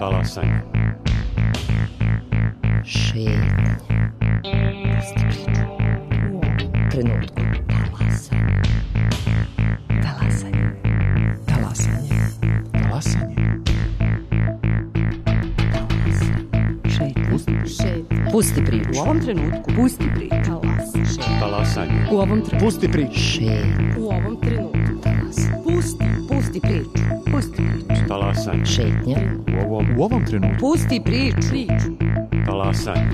Talasanje. Šetnje. Pusti priču. U ovom trenutku. Talasanje. Talasanje. Talasanje. Talasanje. Šetnje. Pusti priču. U ovom trenutku. Pusti priču. Talasanje. U ovom trenutku. Pusti priču. Šetnje. U ovom trenutku. Talasanje. Pusti priču. Pusti priču. Talasanje. Šetnje. U ovom trenutku. Pusti priču. Talasanje.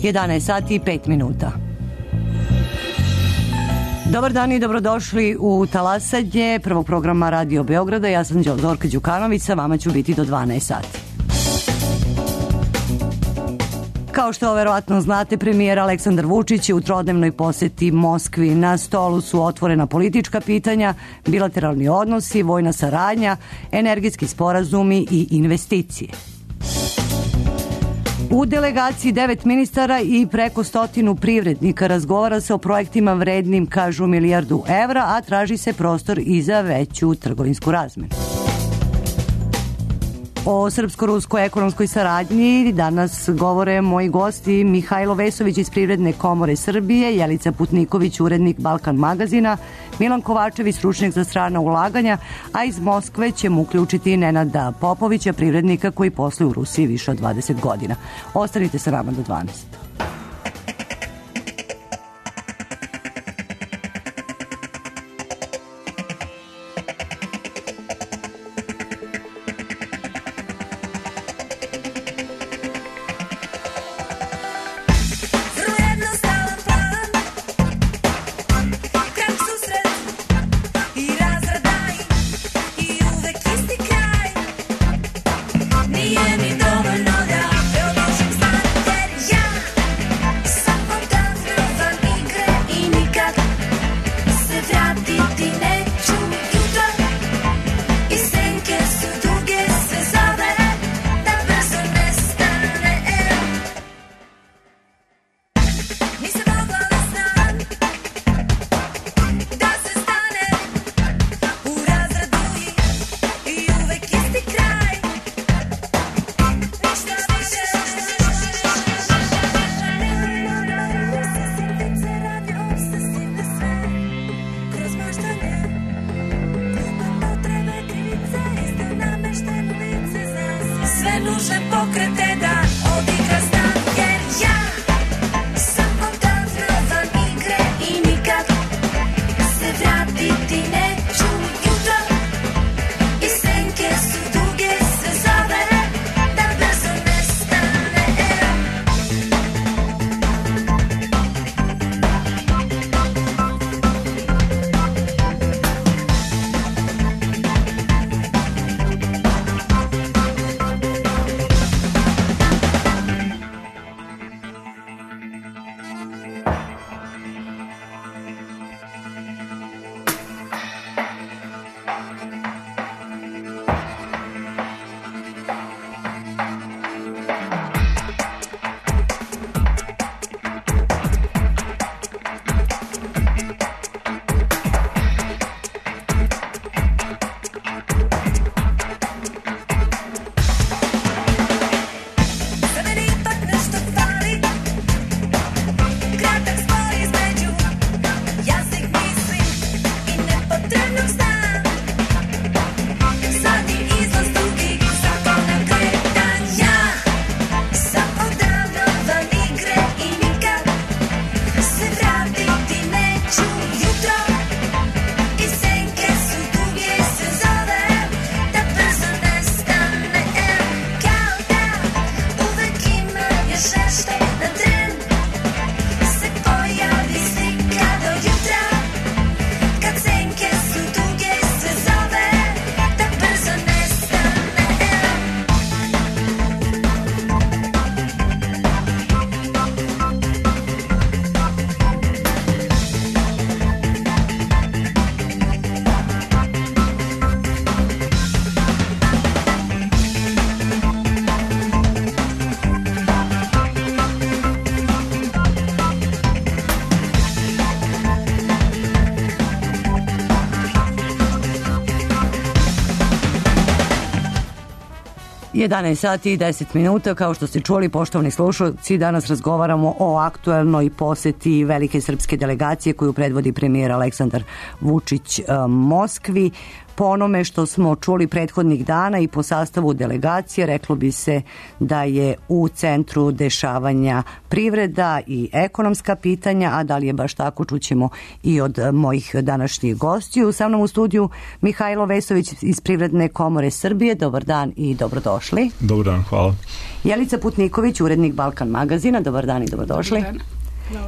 Jedanaest sati i 5 minuta. Dobar dan i dobrodošli u Talasanje prvog programa Radio Beograda. Ja sam Zorka Đukanović, sa vama ću biti do 12 sati. Kao što verovatno znate, premijer Aleksandar Vučić je u trodnevnoj poseti Moskvi. Na stolu su otvorena politička pitanja, bilateralni odnosi, vojna saradnja, energetski sporazumi i investicije. U delegaciji 9 ministara i preko 100 privrednika razgovara se o projektima vrednim, kažu, milijardu evra, a traži se prostor i za veću trgovinsku razmenu. O srpsko-ruskoj ekonomskoj saradnji danas govore moji gosti Mihajlo Vesović iz Privredne komore Srbije, Jelica Putniković, urednik Balkan magazina, Milan Kovačević, stručnjak za strana ulaganja, a iz Moskve ćemo uključiti Nenada Popovića, privrednika koji posluje u Rusiji više od 20 godina. Ostanite sa nama do 12. 11 sati i 10 minuta, kao što ste čuli, poštovani slušalci, danas razgovaramo o aktuelnoj poseti velike srpske delegacije koju predvodi premijer Aleksandar Vučić Moskvi. Po onome što smo čuli prethodnih dana i po sastavu delegacije, reklo bi se da je u centru dešavanja privreda i ekonomska pitanja, a da li je baš tako, čućemo i od mojih današnjih gostiju. Sa mnom u studiju Mihajlo Vesović iz Privredne komore Srbije. Dobar dan i dobrodošli. Dobar dan, hvala. Jelica Putniković, urednik Balkan magazina. Dobar dan i dobrodošli.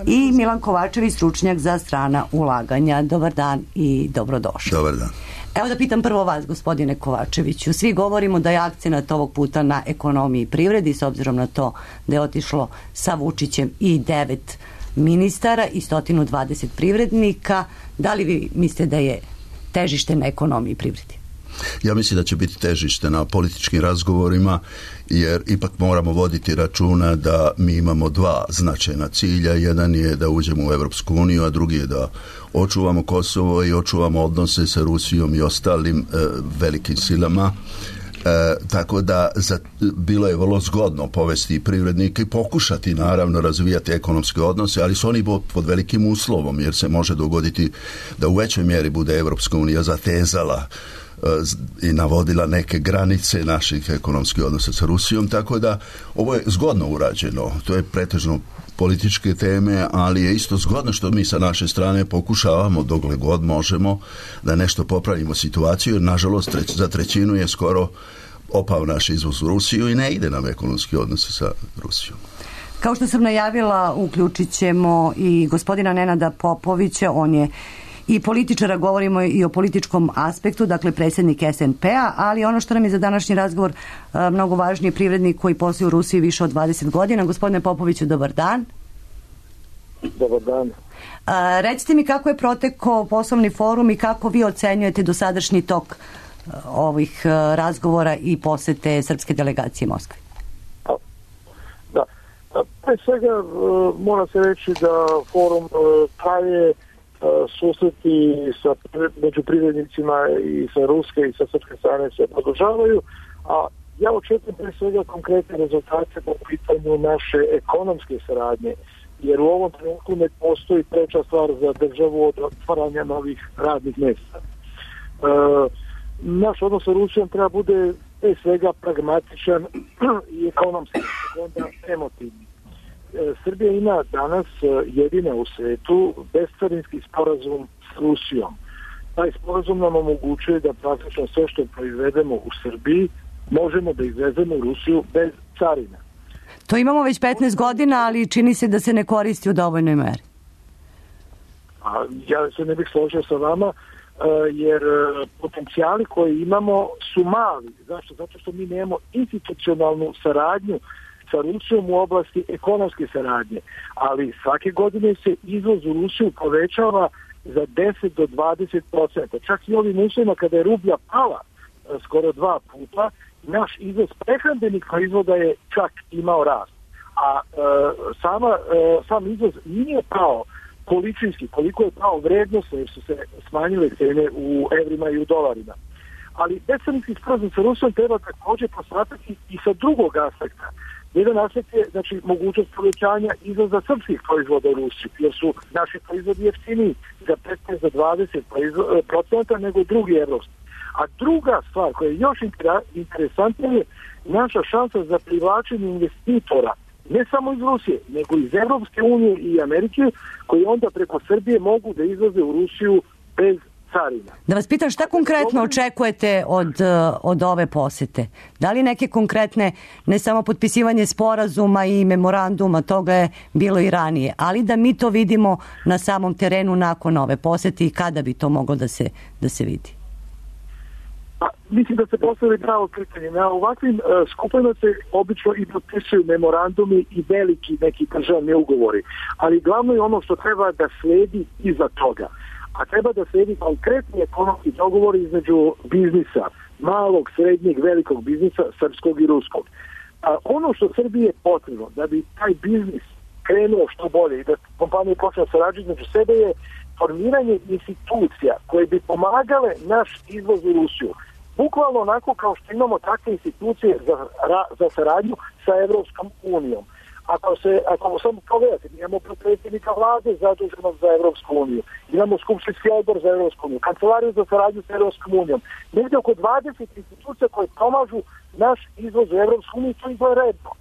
I Milan Kovačević, stručnjak za strana ulaganja. Dobar dan i dobrodošli. Dobar dan. Evo da pitam prvo vas, gospodine Kovačeviću. Svi govorimo da je akcenat ovog puta na ekonomiji i privredi, s obzirom na to da je otišlo sa Vučićem i 9 ministara i 120 privrednika. Da li vi mislite da je težište na ekonomiji i privredi? Ja mislim da će biti težište na političkim razgovorima, jer ipak moramo voditi računa da mi imamo dva značajna cilja. Jedan je da uđemo u Evropsku uniju, a drugi je da očuvamo Kosovo i očuvamo odnose sa Rusijom i ostalim velikim silama. Tako da bilo je vrlo zgodno povesti privrednike i pokušati naravno razvijati ekonomske odnose, ali su oni pod velikim uslovom, jer se može dogoditi da u većoj mjeri bude Evropska unija zatezala i navodila neke granice naših ekonomskih odnosa sa Rusijom, tako da ovo je zgodno urađeno. To je pretežno političke teme, ali je isto zgodno što mi sa naše strane pokušavamo dokle god možemo da nešto popravimo situaciju, jer nažalost za trećinu je skoro opao naš izvoz u Rusiju i ne ide nam ekonomski odnose sa Rusijom. Kao što sam najavila, uključit ćemo i gospodina Nenada Popovića, on je i političara, govorimo i o političkom aspektu, dakle predsjednik SNP-a, ali ono što nam je za današnji razgovor mnogo važnije, privrednik koji posluje u Rusiji više od 20 godina. Gospodine Popoviću, dobar dan. Dobar dan. Recite mi kako je protekao poslovni forum i kako vi ocenjujete dosadašnji tok ovih razgovora i posete srpske delegacije Moskve? Da. Pre svega mora se reći da forum traje, susreti među privrednicima i sa ruske i sa srpske strane se produžavaju, a ja očekujem pre svega konkretne rezultate po pitanju naše ekonomske saradnje, jer u ovom trenutku ne postoji treća stvar za državu od otvaranja novih radnih mjesta. Naš odnos sa Rusijom treba bude pre svega pragmatičan i ekonomski, onda emotivni. Srbija ima danas jedina u svetu bescarinski sporazum s Rusijom. Taj sporazum nam omogućuje da praktično sve što proizvedemo u Srbiji možemo da izvezemo u Rusiju bez carina. To imamo već 15 godina, ali čini se da se ne koristi u dovoljnoj meri. Ja se ne bih složio sa vama, jer potencijali koje imamo su mali. Zašto? Zato što mi nemamo institucionalnu saradnju sa Rusijom u oblasti ekonomske saradnje, ali svake godine se izvoz u Rusiju povećava za 10 do 20%. Čak i ovim uslovima kada je rublja pala skoro 2 puta, naš izvoz prehrambenih proizvoda je čak imao rast. A sam izvoz nije pao količinski, koliko je pao vrednosno, jer su se smanjile cene u evrima i u dolarima. Ali bescarinski sporazum sa Rusijom treba također posmatrati i sa drugog aspekta. Jedan aspekt je, znači, mogućnost povećanja izvoza srpskih proizvoda u Rusiju, jer su naši proizvodi jeftiniji za 15 do 20% nego drugi evropski. A druga stvar koja je još interesantnija je naša šansa za privlačenje investitora, ne samo iz Rusije, nego iz Evropske unije i Amerike, koji onda preko Srbije mogu da izvoze u Rusiju bez carina. Da vas pitam, šta konkretno očekujete od ove posete? Da li neke konkretne, ne samo potpisivanje sporazuma i memoranduma, toga je bilo i ranije, ali da mi to vidimo na samom terenu nakon ove posete i kada bi to moglo da se vidi? Mislim da se postavili pravo pitanje. Na ovakvim skupovima se obično i potpisuju memorandumi i veliki neki državni ugovori, ali glavno je ono što treba da sledi iza toga. A treba da sledi konkretni ekonomski dogovor između biznisa, malog, srednjeg, velikog biznisa, srpskog i ruskog. A ono što Srbiji je potrebno da bi taj biznis krenuo što bolje i da kompanije počne sarađivati između sebe je formiranje institucija koje bi pomagale naš izvoz u Rusiju. Bukvalno onako kao što imamo takve institucije za saradnju sa Evropskom unijom. Ako samo pogledate, imamo predsjednika vlade zaduženog za Evropsku uniju, imamo skupštinski odbor za Evropsku uniju, kancelariju za saradnju sa Evropskom unijom, negdje oko 20 institucija koje pomažu naš izvoz u Evropsku uniju, to izgleda redno.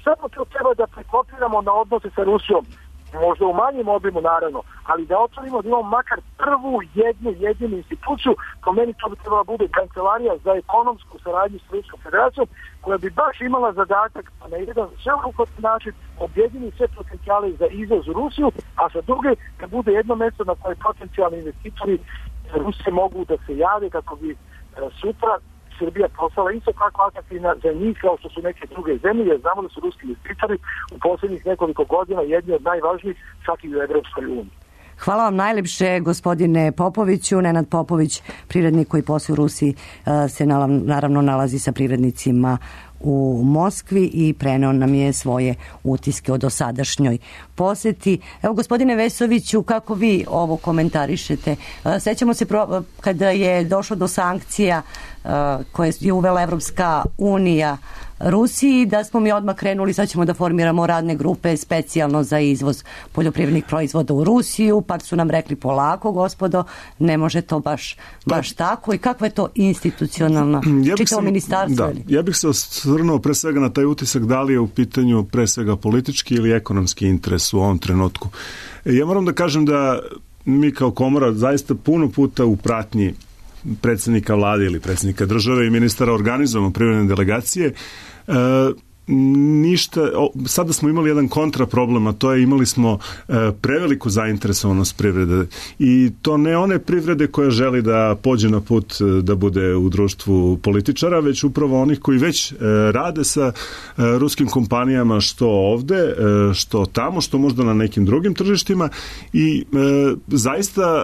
Samo to treba da prekopiramo na odnose sa Rusijom, možda u manjem obimu naravno, ali da otvorimo da imamo makar prvu jedinu instituciju, po meni to bi trebala bude kancelarija za ekonomsku saradnju s Ruskom federacijom, koja bi baš imala zadatak na jedan sveobuhvatni način objedini sve potencijale za izvoz u Rusiju, a sa druge da bude jedno mjesto na koje potencijalni investitori Rusije mogu da se jave kako bi sutra Srbija postala isto kako atraktivna za njih kao što su neke druge zemlje, jer znamo da su ruski investitori u posljednjih nekoliko godina jedni od najvažnijih čak i u Evropskoj uniji. Hvala vam najlepše, gospodine Popoviću. Nenad Popović, privrednik koji posluje u Rusiji, se naravno nalazi sa privrednicima u Moskvi i preneo nam je svoje utiske o dosadašnjoj poseti. Evo, gospodine Vesoviću, kako vi ovo komentarišete? Sećamo se kada je došlo do sankcija koje je uvela Evropska unija Rusiji, da smo mi odmah krenuli, sad ćemo da formiramo radne grupe specijalno za izvoz poljoprivrednih proizvoda u Rusiju, pa su nam rekli polako, gospodo, ne može to baš tako. I kakva je to institucionalna čitavo ministarstvo? Ja bih se osvrnuo pre svega na taj utisak da li je u pitanju pre svega politički ili ekonomski interes u ovom trenutku. Ja moram da kažem da mi kao komora zaista puno puta u pratnji predsjednika vlade ili predsjednika države i ministara organizujemo privredne delegacije. Sada smo imali jedan kontraproblem, a to je imali smo preveliku zainteresovanost privrede i to ne one privrede koja želi da pođe na put da bude u društvu političara, već upravo onih koji već rade sa ruskim kompanijama što ovde, što tamo, što možda na nekim drugim tržištima i zaista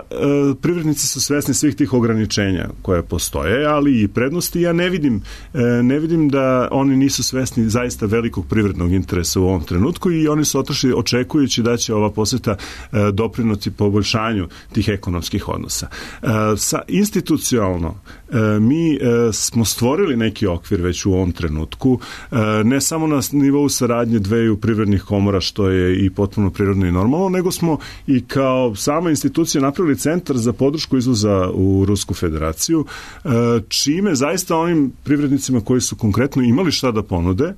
privrednici su svesni svih tih ograničenja koje postoje, ali i prednosti. Ja ne vidim da oni nisu svesni zaista velikog privrednog interesa u ovom trenutku i oni su otišli očekujući da će ova poseta doprinoti poboljšanju tih ekonomskih odnosa. Institucionalno mi smo stvorili neki okvir već u ovom trenutku, ne samo na nivou saradnje dveju privrednih komora, što je i potpuno prirodno i normalno, nego smo i kao sama institucija napravili centar za podršku izvoza u Rusku federaciju, čime zaista onim privrednicima koji su konkretno imali šta da ponude,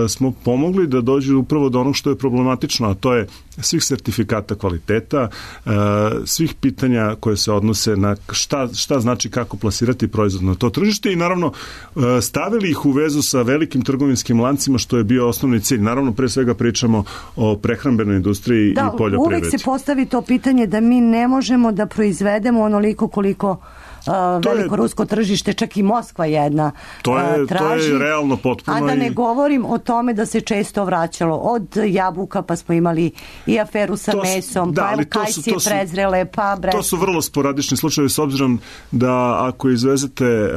smo pomogli da dođu upravo do onog što je problematično, a to je svih sertifikata kvaliteta, svih pitanja koje se odnose na šta znači kako plasirati proizvod na to tržište i naravno stavili ih u vezu sa velikim trgovinskim lancima, što je bio osnovni cilj. Naravno, pre svega pričamo o prehrambenoj industriji i poljoprivredi. Uvek se postavi to pitanje da mi ne možemo da proizvedemo onoliko koliko veliko rusko tržište, čak i Moskva jedna traži. To je realno potpuno. A da ne govorim o tome da se često vraćalo od jabuka, pa smo imali i aferu sa mesom, pa evo kajsije prezrele, pa to su vrlo sporadični slučajevi, s obzirom da ako izvezete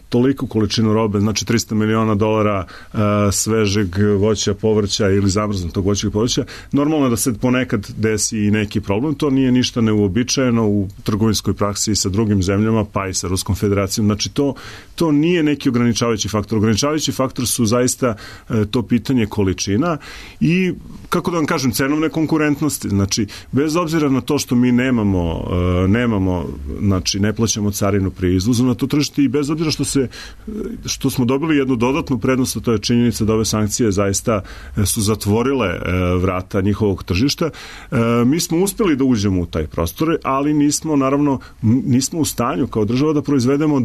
toliku količinu robe, znači $300 miliona svežeg voća, povrća ili zamrznutog voća i povrća, normalno da se ponekad desi i neki problem. To nije ništa neuobičajeno u trgovinskoj praksi sa drugim zemljama, pa i sa Ruskom federacijom. Znači to nije neki ograničavajući faktor. Ograničavajući faktor su zaista to pitanje količina i, kako da vam kažem, cenovne konkurentnosti. Znači, bez obzira na to što mi nemamo, znači ne plaćamo carinu pri izvozu na to tržište i bez obzira što smo dobili jednu dodatnu prednost, a to je činjenica da ove sankcije zaista su zatvorile vrata njihovog tržišta. Mi smo uspjeli da uđemo u taj prostor, ali nismo u stanju kao država da proizvedemo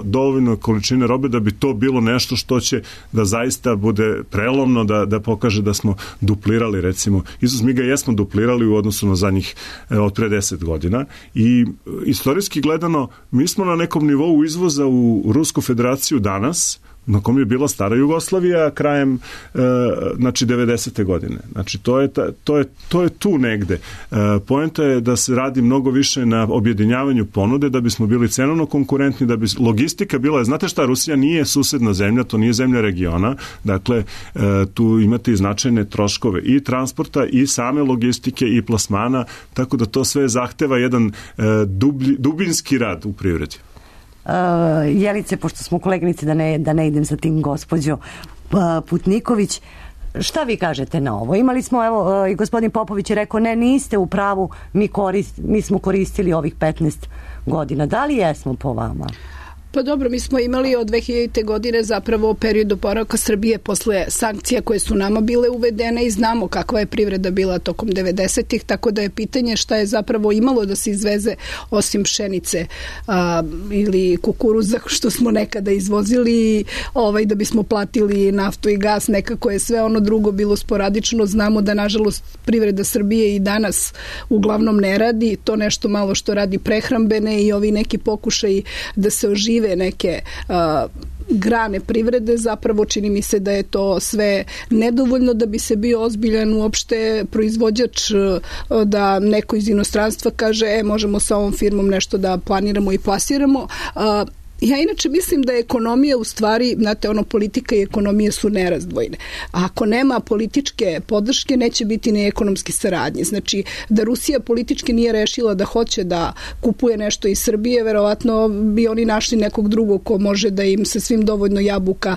dovoljno količine robe da bi to bilo nešto što će da zaista bude prelomno, da pokaže da smo duplirali, recimo, izvoz. Mi ga jesmo duplirali u odnosu na zadnjih od pre 10 godina i istorijski gledano mi smo na nekom nivou izvoza u Rusku federaciju danas na kom je bila stara Jugoslavija krajem 90. godine. Znači to je tu negde. Poenta je da se radi mnogo više na objedinjavanju ponude da bismo bili cenovno konkurentni, da bi logistika bila, znate šta, Rusija nije susedna zemlja, to nije zemlja regiona, dakle tu imate i značajne troškove i transporta i same logistike i plasmana, tako da to sve zahteva jedan dubinski rad u privredi. Jelice, pošto smo koleginici, da ne idem sa tim gospođo Putniković, šta vi kažete na ovo? Imali smo, evo, i gospodin Popović je rekao, ne, niste u pravu, mi smo koristili ovih 15 godina. Da li jesmo po vama? Pa dobro, mi smo imali od 2000. godine zapravo period oporavka Srbije posle sankcija koje su nama bile uvedene i znamo kakva je privreda bila tokom 90-ih, tako da je pitanje šta je zapravo imalo da se izveze osim pšenice ili kukuruza što smo nekada izvozili da bismo platili naftu i gas, nekako je sve ono drugo bilo sporadično. Znamo da nažalost privreda Srbije i danas uglavnom ne radi, to nešto malo što radi prehrambene i ovi neki pokušaj da se ožive neke grane privrede, zapravo čini mi se da je to sve nedovoljno da bi se bio ozbiljan uopšte proizvođač, da neko iz inostranstva kaže možemo sa ovom firmom nešto da planiramo i plasiramo. Ja inače mislim da je ekonomija u stvari, znate, politika i ekonomija su nerazdvojne. A ako nema političke podrške, neće biti ni ekonomske saradnje. Znači, da Rusija politički nije rešila da hoće da kupuje nešto iz Srbije, verovatno bi oni našli nekog drugog ko može da im sa svim dovoljno jabuka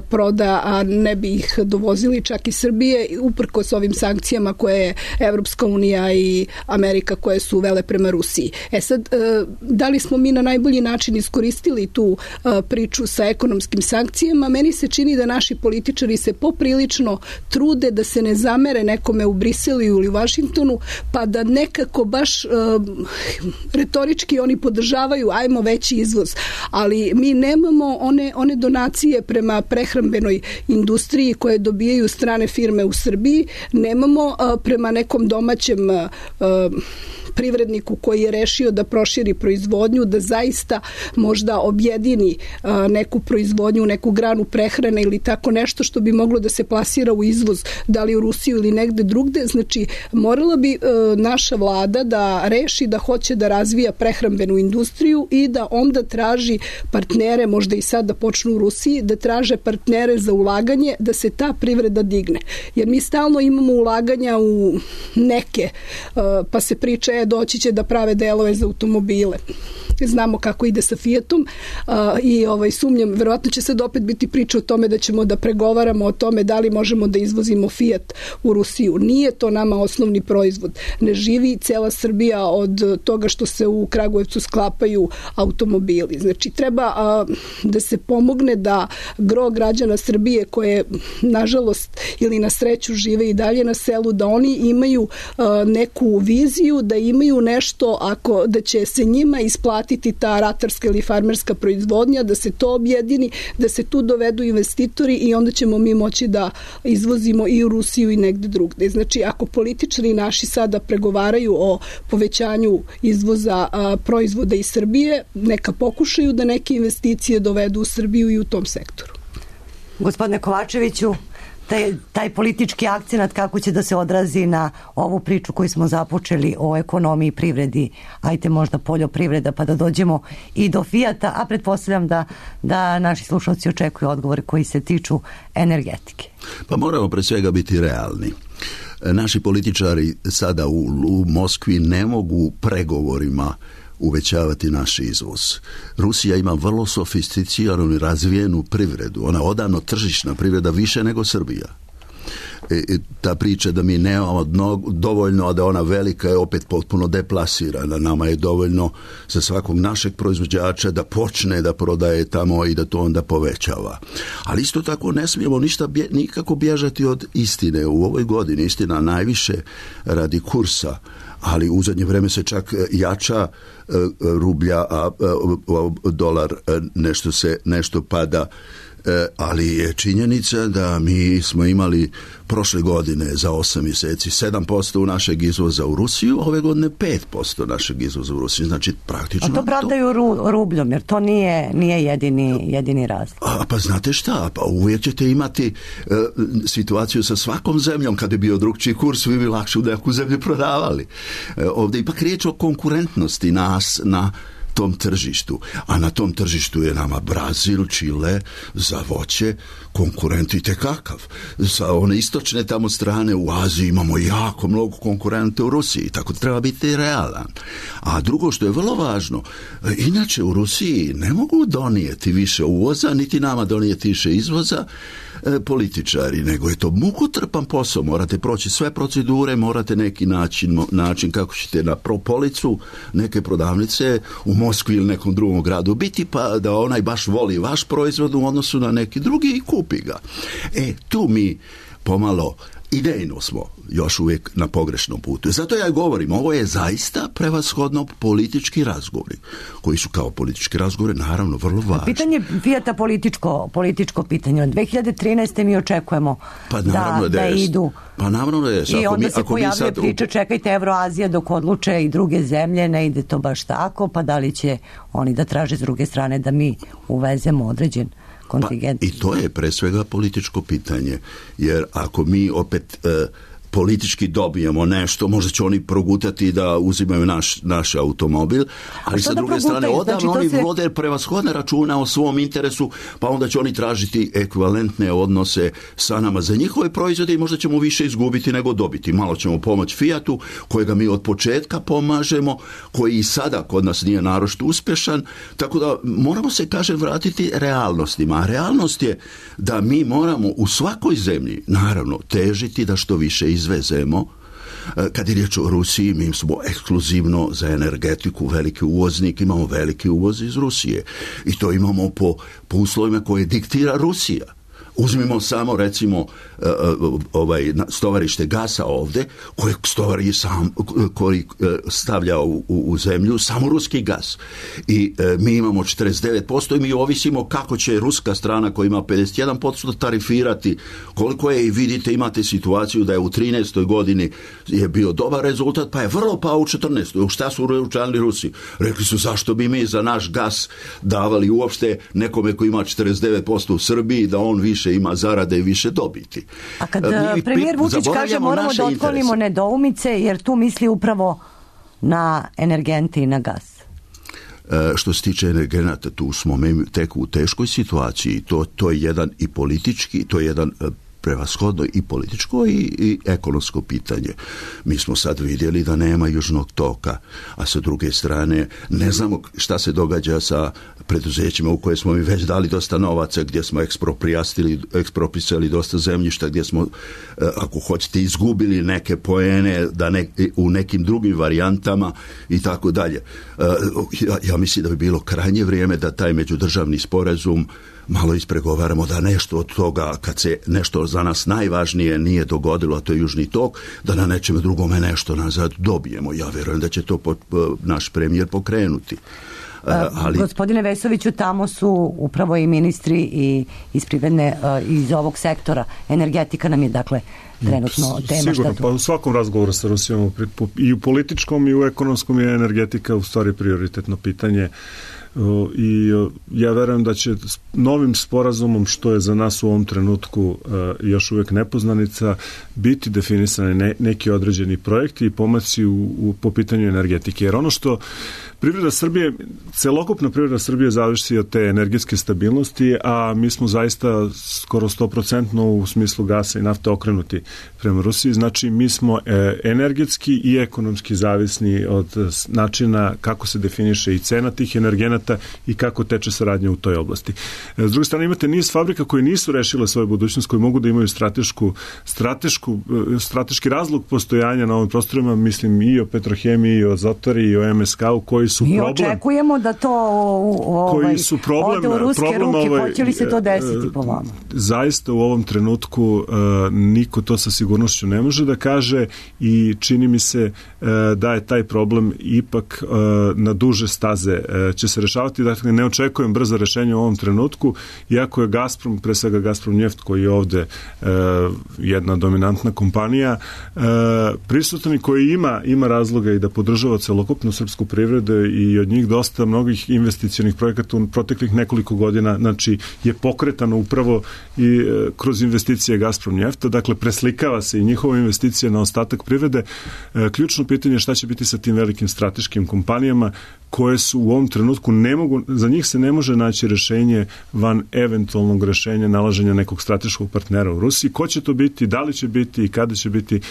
proda, a ne bi ih dovozili čak iz Srbije, uprkos ovim sankcijama koje je Evropska unija i Amerika koje su uvele prema Rusiji. Sad, da li smo mi na najbolji način iskoristili tu priču sa ekonomskim sankcijama? Meni se čini da naši političari se poprilično trude da se ne zamere nekome u Briselu ili u Vašingtonu, pa da nekako baš retorički oni podržavaju ajmo veći izvoz. Ali mi nemamo one donacije prema prehrambenoj industriji koje dobijaju strane firme u Srbiji, nemamo prema nekom domaćem privredniku koji je rešio da proširi proizvodnju, da zaista možda objedini neku proizvodnju, neku granu prehrane ili tako nešto što bi moglo da se plasira u izvoz, da li u Rusiju ili negde drugde. Znači, morala bi naša vlada da reši da hoće da razvija prehrambenu industriju i da onda traži partnere, možda i sad da počnu u Rusiji, da traže partnere za ulaganje, da se ta privreda digne. Jer mi stalno imamo ulaganja u neke, pa se priča doći će da prave delove za automobile. Znamo kako ide sa Fiatom i sumnjam, verovatno će sad opet biti priča o tome da ćemo da pregovaramo o tome da li možemo da izvozimo Fiat u Rusiju. Nije to nama osnovni proizvod. Ne živi cela Srbija od toga što se u Kragujevcu sklapaju automobili. Znači, treba da se pomogne da gro građana Srbije koje, nažalost, ili na sreću žive i dalje na selu, da oni imaju neku viziju, da imaju nešto, da će se njima isplatiti ta ratarska ili farmerska proizvodnja, da se to objedini, da se tu dovedu investitori i onda ćemo mi moći da izvozimo i u Rusiju i negde drugde. Znači, ako političari naši sada pregovaraju o povećanju izvoza proizvoda iz Srbije, neka pokušaju da neke investicije dovedu u Srbiju i u tom sektoru. Gospodine Kovačeviću, taj politički akcenat kako će da se odrazi na ovu priču koju smo započeli o ekonomiji i privredi, ajte možda poljoprivreda, pa da dođemo i do Fijata, a pretpostavljam da naši slušalci očekuju odgovore koji se tiču energetike. Pa moramo pre svega biti realni. Naši političari sada u Moskvi ne mogu pregovorima uvećavati naš izvoz. Rusija ima vrlo sofisticiranu i razvijenu privredu. Ona odavno tržišna privreda više nego Srbija. Ta priča da mi nemamo dovoljno, a da ona velika je opet potpuno deplasirana. Nama je dovoljno za svakog našeg proizvođača da počne da prodaje tamo i da to onda povećava. Ali isto tako ne smijemo nikako bježati od istine. U ovoj godini istina najviše radi kursa, ali u zadnje vreme se čak jača rublja, a dolar nešto pada. Ali je činjenica da mi smo imali prošle godine za 8 mjeseci 7% našeg izvoza u Rusiju, ove godine 5% našeg izvoza u Rusiju. Znači, praktično... A to pravdaju rubljom, jer to nije jedini razlog. Pa znate šta, pa uvijek ćete imati situaciju sa svakom zemljom. Kad je bio drugčiji kurs, vi bi lakše u neku zemlju prodavali. Ovdje ipak riječ o konkurentnosti nas na tom tržištu. A na tom tržištu je nama Brazil, Čile za voće konkurent i tekakav. Sa one istočne tamo strane u Aziji imamo jako mnogo konkurenta u Rusiji, tako treba biti realan. A drugo što je vrlo važno, inače u Rusiji ne mogu donijeti više uvoza, niti nama donijeti više izvoza političari, nego je to mukotrpan posao, morate proći sve procedure, morate neki način kako ćete na policu neke prodavnice u Moskvi ili nekom drugom gradu biti, pa da onaj baš voli vaš proizvod u odnosu na neki drugi i kupi ga. Tu mi pomalo idejno smo još uvijek na pogrešnom putu. Zato ja govorim, ovo je zaista prevashodno politički razgovori, koji su kao politički razgovori naravno vrlo važni. Pitanje Fijata političko pitanje. Od 2013. mi očekujemo da idu. Pa naravno da je. I onda se pojavljuje priča, čekajte Evroazija dok odluče i druge zemlje, ne ide to baš tako, pa da li će oni da traže s druge strane da mi uvezemo određen kontingent. Pa, i to je pre svega političko pitanje, jer ako mi opet politički dobijemo nešto, možda će oni progutati da uzimaju naš automobil, ali sa druge strane odavno oni vode prevashodne računa o svom interesu, pa onda će oni tražiti ekvivalentne odnose sa nama za njihove proizvode i možda ćemo više izgubiti nego dobiti. Malo ćemo pomoći Fiatu, kojega mi od početka pomažemo, koji i sada kod nas nije naročito uspješan, tako da moramo se, vratiti realnostima. A realnost je da mi moramo u svakoj zemlji, naravno, težiti da što više izvezemo. Kad je riječ o Rusiji, mi smo ekskluzivno za energetiku veliki uvoznik, imamo veliki uvoz iz Rusije i to imamo po uslovima koje diktira Rusija. Uzmimo samo recimo stovarište gasa ovdje, koji stavlja u zemlju samo ruski gas. I mi imamo 49% i mi ovisimo kako će ruska strana koja ima 51% tarifirati koliko je, i vidite, imate situaciju da je u 13. godini je bio dobar rezultat, pa je vrlo pao u 14. Šta su učinili Rusi? Rekli su, zašto bi mi za naš gas davali uopšte nekome koji ima 49% u Srbiji, da on više ima zarade i više dobiti. A kad premijer Vučić kaže moramo da otklonimo nedoumice, jer tu misli upravo na energente i na gas. Što se tiče energenata, tu smo tek u teškoj situaciji. To je jedan i politički, to je jedan prevashodno i političko i ekonomsko pitanje. Mi smo sad vidjeli da nema južnog toka, a sa druge strane ne znamo šta se događa sa preduzećima u koje smo mi već dali dosta novaca, gdje smo eksproprisali dosta zemljišta, gdje smo, ako hoćete, izgubili neke poene u nekim drugim varijantama i tako dalje. Ja mislim da bi bilo krajnje vrijeme da taj međudržavni sporazum malo ispregovaramo, da nešto od toga, kad se nešto za nas najvažnije nije dogodilo, a to je južni tok, da na nečem drugome nešto nazad dobijemo. Ja vjerujem da će to naš premijer pokrenuti. Gospodine Vesoviću, tamo su upravo i ministri iz privredne, iz ovog sektora. Energetika nam je, dakle, trenutno tema. Sigurno, pa u svakom razgovoru sa Rusijom, i u političkom i u ekonomskom, je energetika u stvari prioritetno pitanje. I ja verujem da će novim sporazumom, što je za nas u ovom trenutku još uvijek nepoznanica, biti definisani neki određeni projekti i pomaci po pitanju energetike. Jer ono što privreda Srbije, celokupna privreda Srbije zavisi od te energetske stabilnosti, a mi smo zaista skoro 100% u smislu gasa i nafte okrenuti prema Rusiji. Znači, mi smo energetski i ekonomski zavisni od načina kako se definiše i cena tih energenata i kako teče saradnja u toj oblasti. S druge strane, imate niz fabrika koje nisu rešile svoju budućnost, koji mogu da imaju strateški razlog postojanja na ovim prostorima, mislim i o Petrohemiji, i o Zotori, i o MSK-u, koji su mi problem. Mi očekujemo da to ode u ruske ruke. Hoće li se to desiti po vama? Zaista u ovom trenutku niko to sa sigurnošću ne može da kaže i čini mi se da je taj problem ipak na duže staze će se rešavati. Dakle, ne očekujem brzo rešenje u ovom trenutku, iako je Gazprom, pre svega Gazprom Njeft, koji je ovde jedna dominantna kompanija, prisutan i koji ima razloga i da podržava celokupnu srpsku privredu i od njih dosta mnogih investicionih projekata u proteklih nekoliko godina, znači je pokretano upravo i kroz investicije Gazprom Njefta, dakle preslikava se i njihova investicija na ostatak privrede. Ključno pitanje je šta će biti sa tim velikim strateškim kompanijama koje su u ovom trenutku za njih se ne može naći rešenje van eventualnog rešenja nalaženja nekog strateškog partnera u Rusiji. Ko će to biti, da li će biti i kada će biti,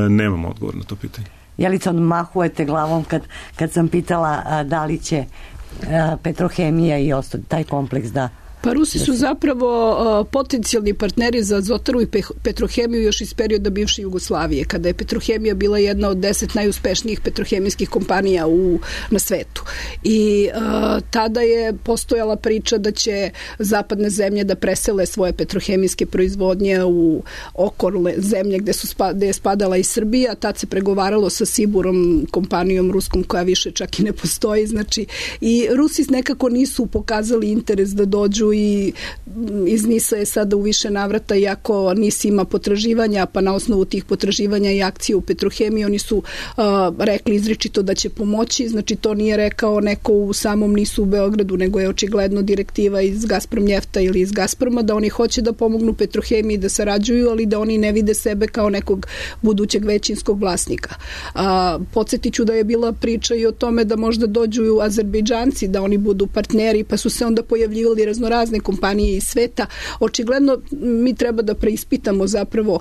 nemamo odgovor na to pitanje. Jelica, odmahujete glavom kad sam pitala da li će Petrohemija i taj kompleks da... Pa Rusi su zapravo potencijalni partneri za Azotaru i Petrohemiju još iz perioda bivše Jugoslavije, kada je Petrohemija bila jedna od 10 najuspešnijih petrohemijskih kompanija na svetu. I tada je postojala priča da će zapadne zemlje da presele svoje petrohemijske proizvodnje u okolne zemlje gde je spadala i Srbija. Tad se pregovaralo sa Siburom, kompanijom ruskom koja više čak i ne postoji. Znači, i Rusi nekako nisu pokazali interes da dođu i iz NIS-a je sada u više navrata, iako NIS ima potraživanja, pa na osnovu tih potraživanja i akcije u Petrohemiji, oni su rekli izričito da će pomoći, znači to nije rekao neko u samom NIS-u u Beogradu, nego je očigledno direktiva iz Gazprom Njefta ili iz Gazproma, da oni hoće da pomognu Petrohemiji, da sarađuju, ali da oni ne vide sebe kao nekog budućeg većinskog vlasnika. Podsjetiću da je bila priča i o tome da možda dođu Azerbejdžanci, da oni budu partneri, pa su se onda pojavljivali razne kompanije iz sveta. Očigledno mi treba da preispitamo zapravo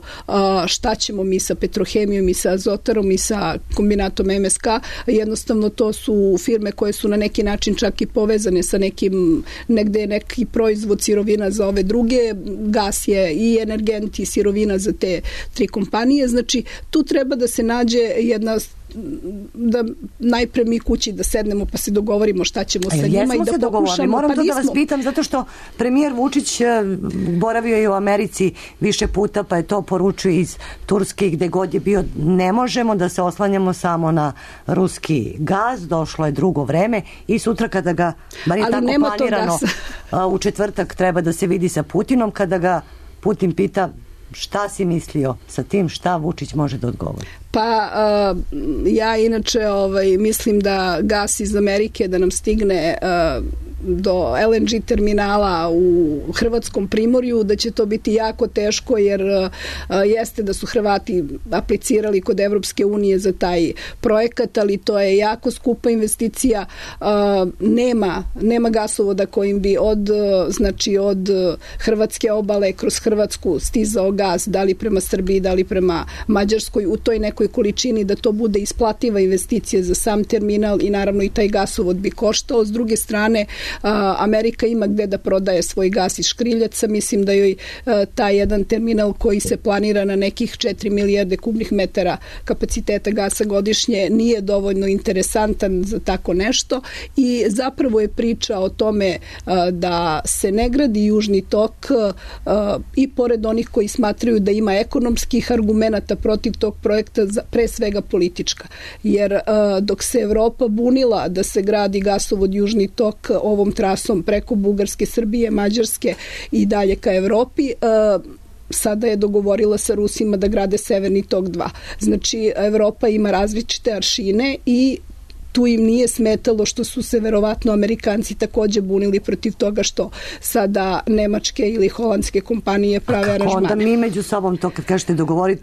šta ćemo mi sa Petrohemijom i sa Azotarom i sa kombinatom MSK. Jednostavno to su firme koje su na neki način čak i povezane sa nekim, negde je neki proizvod sirovina za ove druge. Gas je i energent i sirovina za te tri kompanije. Znači tu treba da se nađe jedna, da najpre mi kući da sednemo pa se dogovorimo šta ćemo sa njima i da pokušamo. Moram to da vas pitam, zato što premijer Vučić boravio je u Americi više puta, pa je to poručio iz Turske, gde god je bio. Ne možemo da se oslanjamo samo na ruski gaz, došlo je drugo vreme i sutra kada ga, bar je tako planirano, u četvrtak treba da se vidi sa Putinom, kada ga Putin pita šta si mislio sa tim, šta Vučić može da odgovori? Pa ja inače mislim da gas iz Amerike da nam stigne do LNG terminala u Hrvatskom primorju, da će to biti jako teško, jer jeste da su Hrvati aplicirali kod Evropske unije za taj projekat, ali to je jako skupa investicija. Nema gasovoda kojim bi od Hrvatske obale kroz Hrvatsku stizao gas, da li prema Srbiji, da li prema Mađarskoj, u toj nekoj količini da to bude isplativa investicija za sam terminal i naravno i taj gasovod bi koštao. S druge strane, Amerika ima gde da prodaje svoj gas iz škriljaca. Mislim da joj taj jedan terminal koji se planira na nekih 4 milijarde kubnih metara kapaciteta gasa godišnje nije dovoljno interesantan za tako nešto i zapravo je priča o tome da se ne gradi Južni tok i pored onih koji smatraju da ima ekonomskih argumenata protiv tog projekta, pre svega politička. Jer dok se Evropa bunila da se gradi gasovod Južni tok ovom trasom preko Bugarske, Srbije, Mađarske i dalje ka Evropi, sada je dogovorila sa Rusima da grade Severni tok 2. Znači, Evropa ima različite aršine i tu im nije smetalo što su se verovatno Amerikanci takođe bunili protiv toga što sada nemačke ili holandske kompanije prave aranžmane. Onda mi među sobom to kad kažete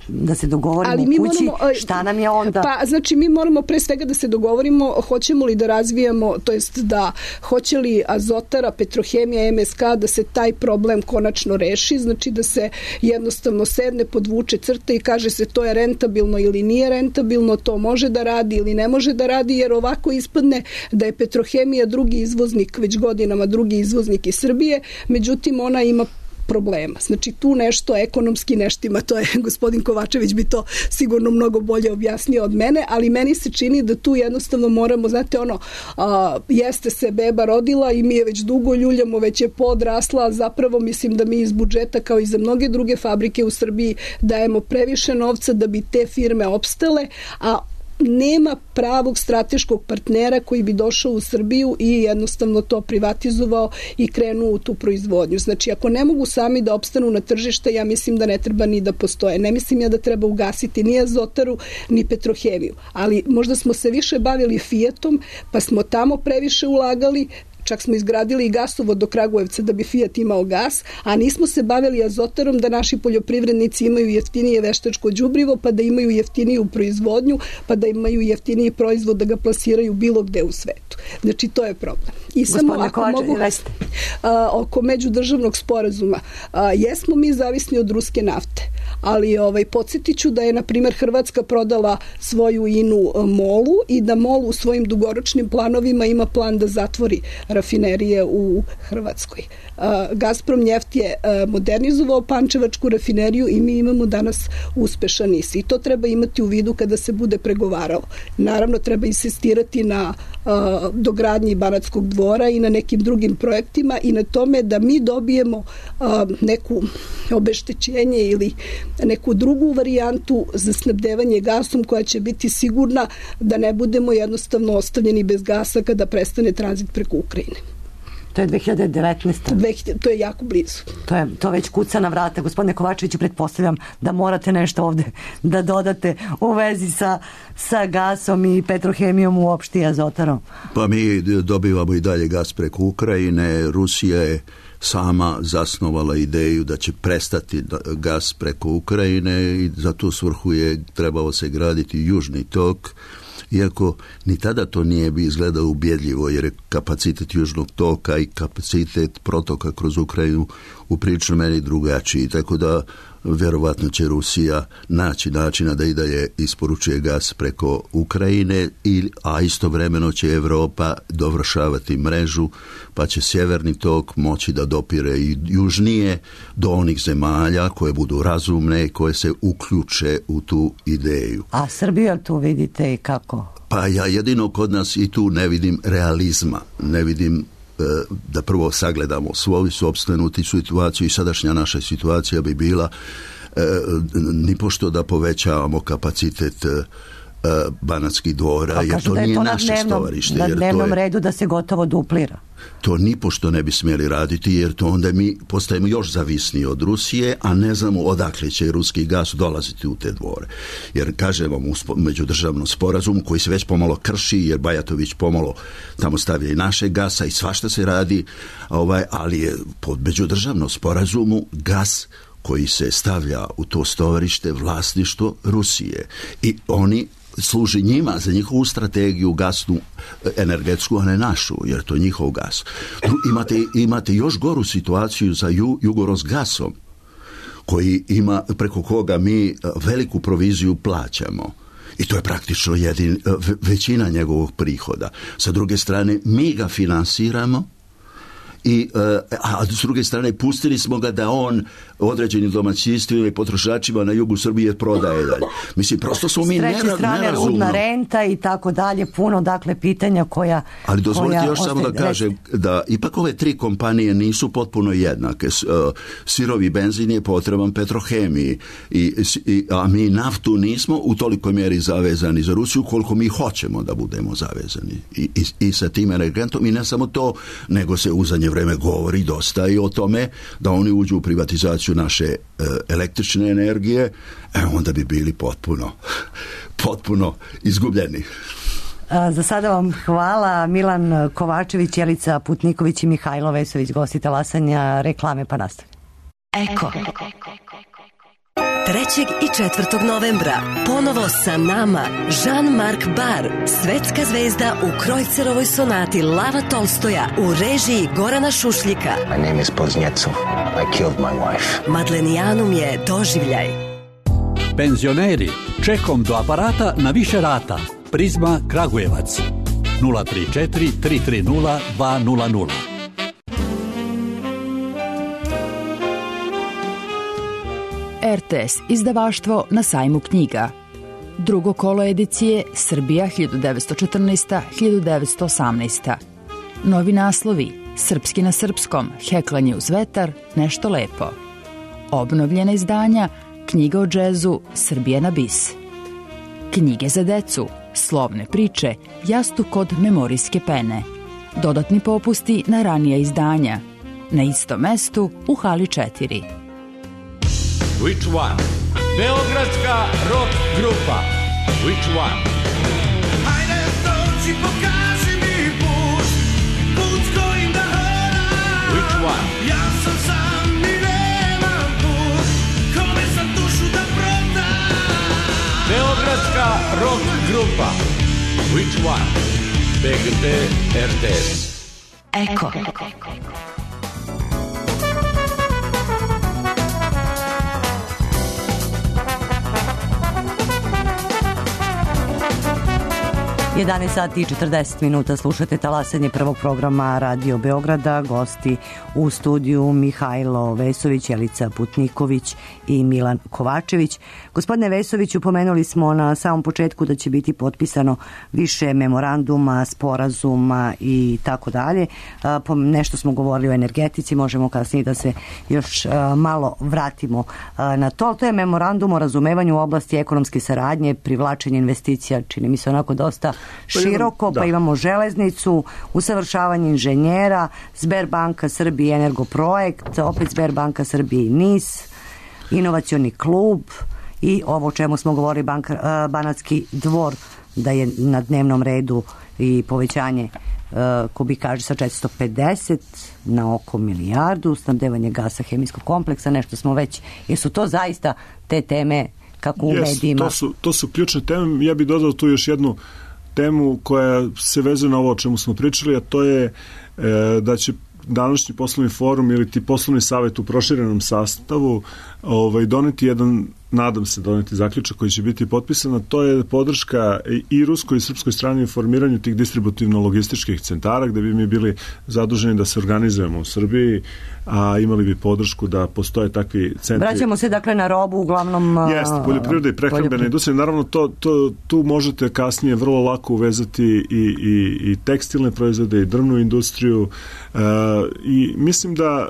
da se dogovorimo u kući, šta nam je onda? Pa znači mi moramo pre svega da se dogovorimo hoćemo li da razvijamo, to jest da hoće li Azotara, Petrohemija, MSK da se taj problem konačno reši, znači da se jednostavno sedne, podvuče crta i kaže se to je rentabilno ili nije rentabilno, to može da radi ili ne može da radi, jer ovako ispadne da je Petrohemija drugi izvoznik, već godinama drugi izvoznik iz Srbije, međutim ona ima problema. Znači tu nešto ekonomski neštima, to je gospodin Kovačević bi to sigurno mnogo bolje objasnio od mene, ali meni se čini da tu jednostavno moramo, znate jeste se beba rodila i mi je već dugo ljuljamo, već je podrasla, zapravo mislim da mi iz budžeta kao i za mnoge druge fabrike u Srbiji dajemo previše novca da bi te firme opstale, a nema pravog strateškog partnera koji bi došao u Srbiju i jednostavno to privatizovao i krenuo u tu proizvodnju. Znači, ako ne mogu sami da opstanu na tržište, ja mislim da ne treba ni da postoje. Ne mislim ja da treba ugasiti ni Azotaru, ni Petrohemiju. Ali možda smo se više bavili Fijatom, pa smo tamo previše ulagali, čak smo izgradili i gasovod do Kragujevca da bi Fijat imao gas, a nismo se bavili Azotarom da naši poljoprivrednici imaju jeftinije veštačko đubrivo, pa da imaju jeftiniju proizvodnju, pa da imaju jeftiniji proizvod da ga plasiraju bilo gde u svetu. Znači, to je problem. I samo ako mogu oko međudržavnog sporazuma, jesmo mi zavisni od ruske nafte, ali podsjetit ću da je, na primjer, Hrvatska prodala svoju INU MOL-u i da MOL u svojim dugoročnim planovima ima plan da zatvori rafinerije u Hrvatskoj. Gazprom Njeft je modernizovao pančevačku rafineriju i mi imamo danas uspešan NIS. I to treba imati u vidu kada se bude pregovaralo. Naravno, treba insistirati na dogradnji Banatskog dvora i na nekim drugim projektima i na tome da mi dobijemo neku obeštećenje ili neku drugu varijantu za snabdevanje gasom koja će biti sigurna da ne budemo jednostavno ostavljeni bez gasa kada prestane tranzit preko Ukrajine. To je 2019. To je jako blizu. To već kuca na vrata. Gospodine Kovačeviću, pretpostavljam da morate nešto ovde da dodate u vezi sa gasom i Petrohemijom uopšte i Azotarom. Pa mi dobivamo i dalje gas preko Ukrajine. Rusija je sama zasnovala ideju da će prestati gas preko Ukrajine i za tu svrhu je trebalo se graditi Južni tok, iako ni tada to nije bi izgledalo ubjedljivo, jer je kapacitet Južnog toka i kapacitet protoka kroz Ukrajinu uprilično meni drugačiji, tako da vjerovatno će Rusija naći načina da i dalje isporučuje gas preko Ukrajine, a istovremeno će Europa dovršavati mrežu, pa će sjeverni tok moći da dopire i južnije do onih zemalja koje budu razumne i koje se uključe u tu ideju. A Srbiju tu vidite i kako? Pa ja jedino kod nas i tu ne vidim realizma, ne vidim da prvo sagledamo svoju sopstvenu situaciju i sadašnja naša situacija bi bila nipošto da povećavamo kapacitet Banatskih dvora, jer to nije naše stovarište. Na dnevnom redu da se gotovo duplira. To nipošto ne bi smjeli raditi, jer to onda mi postajemo još zavisniji od Rusije, a ne znamo odakle će ruski gas dolaziti u te dvore. Jer kažem vam, u međudržavnom sporazumu koji se već pomalo krši, jer Bajatović pomalo tamo stavlja i naše gasa i svašta se radi, ali je pod međudržavnom sporazumu gas koji se stavlja u to stovarište vlasništvo Rusije. I oni služi njima za njihovu strategiju gasnu, energetsku, a ne našu, jer to je njihov gas. Imate još goru situaciju sa Jugorosgasom, koji ima, preko koga mi veliku proviziju plaćamo. I to je praktično većina njegovog prihoda. Sa druge strane, mi ga finansiramo, a s druge strane pustili smo ga da on određenim domaćinstvima i potrošačima na jugu Srbije prodaje dalje. Mislim, prosto smo mi nerazumno. S treće strane, rudna renta i tako dalje, puno dakle pitanja koja... Ali dozvolite još samo da kažem da ipak ove tri kompanije nisu potpuno jednake. Sirovi benzin je potreban Petrohemiji, a mi naftu nismo u tolikoj mjeri zavezani za Rusiju koliko mi hoćemo da budemo zavezani. I sa tim energentom, i ne samo to, nego se u zadnje vreme govori dosta i o tome da oni uđu u privatizaciju naše električne energije, onda bi bili potpuno izgubljeni. Za sada vam hvala. Milan Kovačević, Jelica Putniković i Mihajlo Vesović, gosti Talasanja, reklame pa nastavljamo. Eko. 3. i 4. novembra ponovo sa nama Jean-Marc Bar, svetska zvezda u Krojcerovoj sonati Lava Tolstoja u režiji Gorana Šušljika. My name is Poznjecov. I killed my wife. Madlenijanum je doživljaj. Penzioneri, čekom do aparata na više rata. Prizma Kragujevac 034 330 200. RTS izdavaštvo na sajmu knjiga. Drugo kolo edicije Srbija 1914-1918. Novi naslovi Srpski na srpskom, Heklanje uz vetar, Nešto lepo. Obnovljena izdanja Knjiga o džezu, Srbija na bis. Knjige za decu, slovne priče, jastuk od memorijske pene. Dodatni popusti na ranija izdanja. Na istom mestu u hali 4. Which one? Beogradska rock grupa. Which one? Hajde dođi, pokaži mi put s kojim da hodam. Which one? Ja sam sam i nemam put, kome sam dušu da prodam. Beogradska rock grupa. Which one? BGT RTS. Eko. 11 sati i 40 minuta slušate talasanje prvog programa Radio Beograda. Gosti u studiju Mihajlo Vesović, Jelica Putniković i Milan Kovačević. Gospodine Vesoviću, pomenuli smo na samom početku da će biti potpisano više memoranduma, sporazuma i tako dalje. Nešto smo govorili o energetici, možemo kasnije da se još malo vratimo na to. To je memorandum o razumevanju u oblasti ekonomske saradnje, privlačenje investicija, čini mi se onako dosta široko, pa imamo železnicu, usavršavanje inženjera, Sberbanka Srbije Energoprojekt, opet Sberbanka Srbije i NIS, inovacioni klub i ovo o čemu smo govorili, Banatski dvor, da je na dnevnom redu i povećanje kubikaže sa 450 na oko milijardu, snabdevanje gasa hemijskog kompleksa, nešto smo već, jesu to zaista te teme kako u medijima? To su ključne teme. Ja bih dodao tu još jednu temu koja se vezuje na ovo o čemu smo pričali, a to je da će današnji poslovni forum ili ti poslovni savjet u proširenom sastavu doneti jedan, nadam se doneti zaključak koji će biti potpisan, a to je podrška i ruskoj i srpskoj strani u formiranju tih distributivno-logističkih centara gde bi mi bili zaduženi da se organizujemo u Srbiji, a imali bi podršku da postoje takvi centri. Vraćamo se dakle na robu uglavnom. Jeste, poljoprivreda i prehrambena industrija. Naravno, tu možete kasnije vrlo lako uvezati i tekstilne proizvode i drvnu industriju i mislim da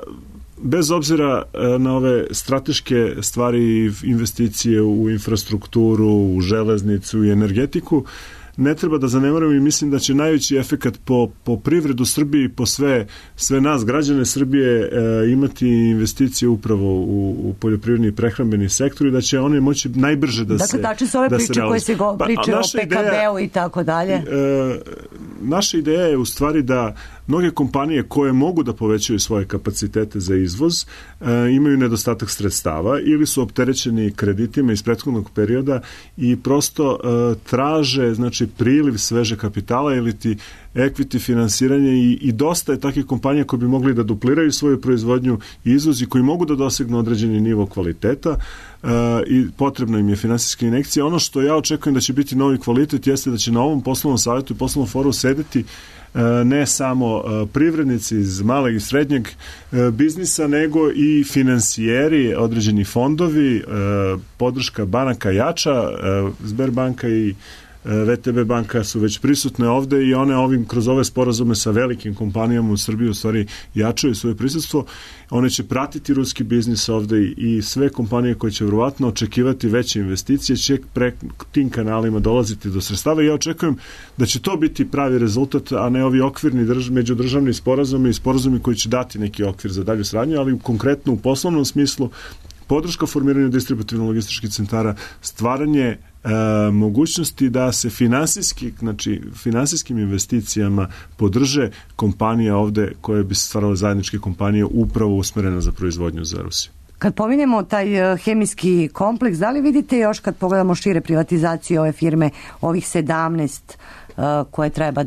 bez obzira na ove strateške stvari i investicije u infrastrukturu, u železnicu i energetiku, ne treba da zanemarimo i mislim da će najveći efekat po privredu Srbije i po sve nas, građane Srbije, imati investicije upravo u poljoprivredni i prehrambeni sektor i da će one moći najbrže da se realizuju. Dakle, tačno su ove priče koje se pričaju o PKB-u i tako dalje. Naša ideja je u stvari da mnoge kompanije koje mogu da povećaju svoje kapacitete za izvoz imaju nedostatak sredstava ili su opterećeni kreditima iz prethodnog perioda i prosto traže, znači, priliv sveže kapitala ili ti equity finansiranje i dosta je takvih kompanija koji bi mogli da dupliraju svoju proizvodnju i izvoz i koji mogu da dosegnu određeni nivo kvaliteta i potrebna im je finansijska injekcija. Ono što ja očekujem da će biti novi kvalitet jeste da će na ovom poslovnom savjetu i poslovnom forumu sedeti ne samo privrednici iz malog i srednjeg biznisa, nego i finansijeri, određeni fondovi, podrška banaka jača, Sberbanka i VTB banka su već prisutne ovde i one kroz ove sporazume sa velikim kompanijama u Srbiji u stvari jačaju svoje prisutstvo. One će pratiti ruski biznis ovde i sve kompanije koje će vjerovatno očekivati veće investicije će tim kanalima dolaziti do sredstava i ja očekujem da će to biti pravi rezultat, a ne ovi okvirni međudržavni sporazumi i sporazumi koji će dati neki okvir za dalju saradnju, ali konkretno u poslovnom smislu podrška formiranju distributivno-logističkih centara, stvaranje mogućnosti da se finansijskim investicijama podrže kompanija ovde koje bi stvarale zajedničke kompanije upravo usmerena za proizvodnju za Rusiju. Kad pominjemo taj hemijski kompleks, da li vidite još kad pogledamo šire privatizaciju ove firme, ovih 17 koje treba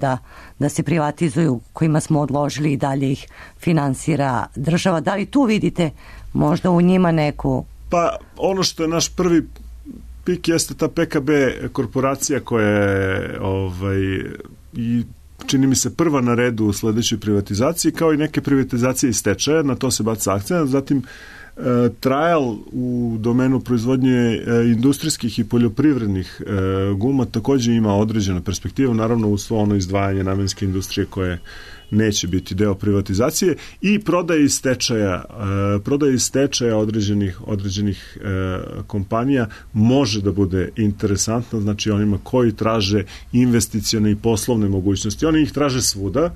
da se privatizuju, kojima smo odložili i dalje ih finansira država, da li tu vidite možda u njima neku... Pa ono što je naš prvi pik jeste ta PKB korporacija koja je i čini mi se prva na redu u sledećoj privatizaciji, kao i neke privatizacije iz stečaja, na to se baca akcent. Zatim Trajal u domenu proizvodnje industrijskih i poljoprivrednih guma takođe ima određenu perspektivu, naravno uz svo ono izdvajanje namenske industrije koje neće biti deo privatizacije, i prodaje iz stečaja određenih kompanija može da bude interesantna, znači onima koji traže investicione i poslovne mogućnosti. Oni ih traže svuda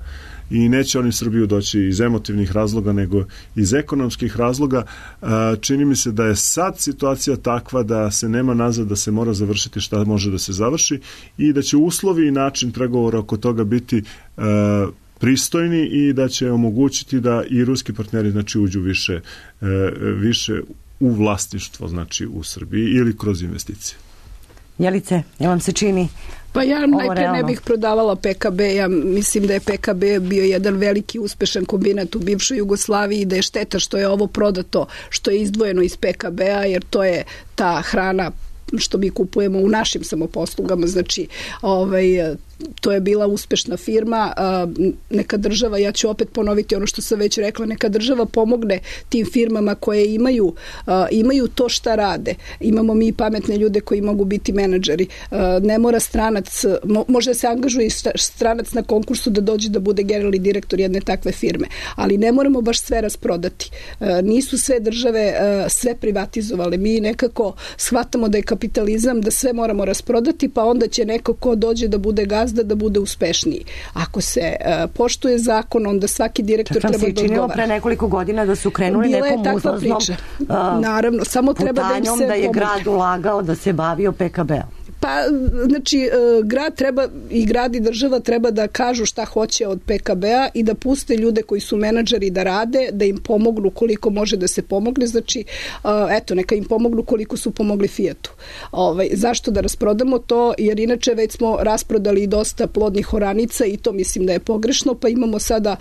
i neće oni Srbiju doći iz emotivnih razloga, nego iz ekonomskih razloga. Čini mi se da je sad situacija takva da se nema nazad, da se mora završiti šta može da se završi i da će uslovi i način pregovora oko toga biti pristojni i da će omogućiti da i ruski partneri, znači, uđu više u vlasništvo, znači, u Srbiji ili kroz investicije. Jelice, ja vam se čini Pa ja najprije ne bih prodavala PKB, ja mislim da je PKB bio jedan veliki uspešan kombinat u bivšoj Jugoslaviji i da je šteta što je ovo prodato, što je izdvojeno iz PKB-a, jer to je ta hrana što mi kupujemo u našim samoposlugama, znači to je bila uspešna firma. Neka država, ja ću opet ponoviti ono što sam već rekla, neka država pomogne tim firmama koje imaju to šta rade. Imamo mi pametne ljude koji mogu biti menadžeri. Ne mora stranac, može se angažuje i stranac na konkursu da dođe da bude generalni direktor jedne takve firme, ali ne moramo baš sve rasprodati. Nisu sve države sve privatizovale. Mi nekako shvatamo da je kapitalizam, da sve moramo rasprodati, pa onda će neko ko dođe da bude gazda da bude uspešniji. Ako se poštuje zakon, onda svaki direktor treba da odgovara. Čak vam se činilo pre nekoliko godina da su krenuli nekom uzlaznom naravno, samo treba da im se da je grad ulagao da se bavio PKB-om. Pa, znači, grad i država treba da kažu šta hoće od PKB-a i da puste ljude koji su menadžeri da rade, da im pomognu koliko može da se pomogne, znači, neka im pomognu koliko su pomogli Fijatu. Zašto da rasprodamo to? Jer inače već smo rasprodali dosta plodnih oranica i to mislim da je pogrešno, pa imamo sada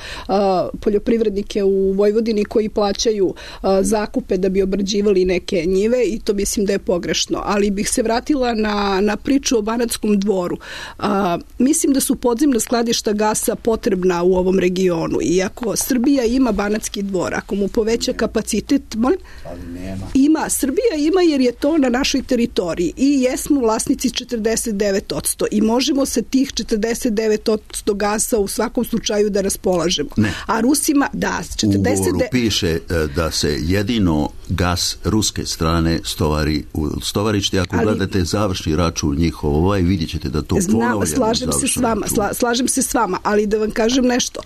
poljoprivrednike u Vojvodini koji plaćaju zakupe da bi obrađivali neke njive i to mislim da je pogrešno. Ali bih se vratila na priču o Banatskom dvoru. Mislim da su podzemna skladišta gasa potrebna u ovom regionu i ako Srbija ima Banatski dvor, ako mu poveća kapacitet, Srbija ima jer je to na našoj teritoriji i jesmo vlasnici 49% i možemo se tih 49% gasa u svakom slučaju da raspolažemo. Ne. A Rusima, u ugovoru piše da se jedino gas ruske strane stovari u stovarišti. Ako gledate završni račun njihov, vidjet ćete da to ponovljeno. Slažem se s vama, ali da vam kažem nešto.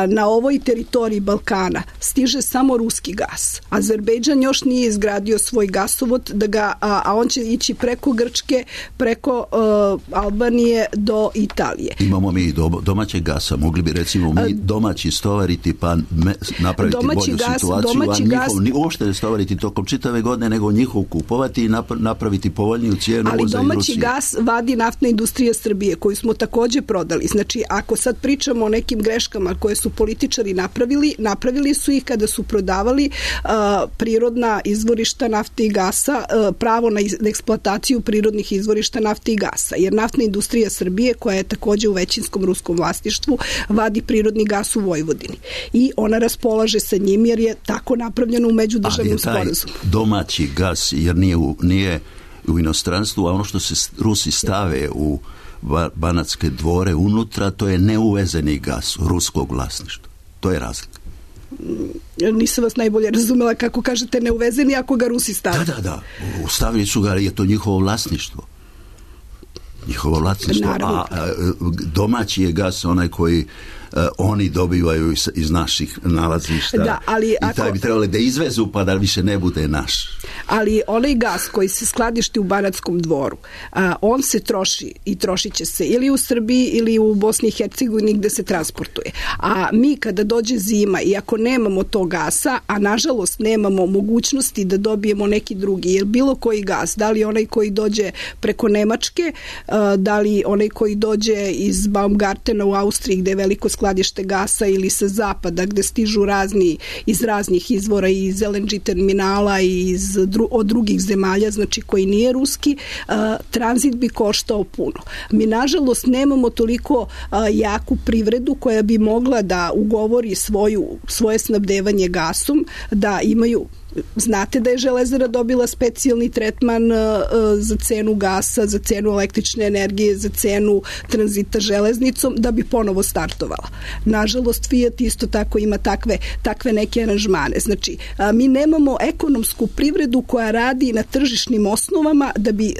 Na ovoj teritoriji Balkana stiže samo ruski gas. Azerbejdžan još nije izgradio svoj gasovod, a on će ići preko Grčke, preko Albanije do Italije. Imamo mi domaćeg gasa. Mogli bi recimo mi domaći stovariti pa napraviti bolju situaciju, a njihov uopšte ne stovariti tokom čitave godine, nego njihov kupovati i napraviti povoljniju cijenu uvoza iz Rusije. Ali domaći gas vadi naftna industrija Srbije, koju smo takođe prodali. Znači, ako sad pričamo o nekim greškama koje su političari napravili su ih kada su prodavali prirodna izvorišta nafte i gasa, pravo na eksploataciju prirodnih izvorišta nafte i gasa. Jer naftna industrija Srbije, koja je takođe u većinskom ruskom vlasništvu, vadi prirodni gas u Vojvodini. I ona raspolaže sa njim jer je tako napravljeno u međudržavnom sporazumu. Domaći gas, jer nije u inostranstvu, a ono što se Rusi stave u Banatske dvore unutra, to je neuvezeni gas ruskog vlasništva. To je razlika. Nisam vas najbolje razumela kako kažete neuvezeni ako ga Rusi stave. Da. Stavili su ga, je to njihovo vlasništvo. A domaći je gas onaj koji oni dobivaju iz naših nalazišta. Da, ali i taj bi trebalo da izvezu pa da više ne bude naš. Ali onaj gas koji se skladišti u Banatskom dvoru, on se troši i trošit će se ili u Srbiji ili u Bosni i Hercegovini gde se transportuje. A mi kada dođe zima i ako nemamo tog gasa, a nažalost nemamo mogućnosti da dobijemo neki drugi, jer bilo koji gas, da li onaj koji dođe preko Nemačke, da li onaj koji dođe iz Baumgartena u Austriji gde je veliko skladište gasa ili sa zapada gde stižu iz raznih izvora i iz LNG terminala i od drugih zemalja, znači koji nije ruski, tranzit bi koštao puno. Mi nažalost nemamo toliko jaku privredu koja bi mogla da ugovori svoje snabdevanje gasom, da imaju znate da je Železara dobila specijalni tretman za cenu gasa, za cenu električne energije, za cenu tranzita železnicom da bi ponovo startovala. Nažalost, Fiat isto tako ima takve neke aranžmane. Znači, mi nemamo ekonomsku privredu koja radi na tržišnim osnovama da bi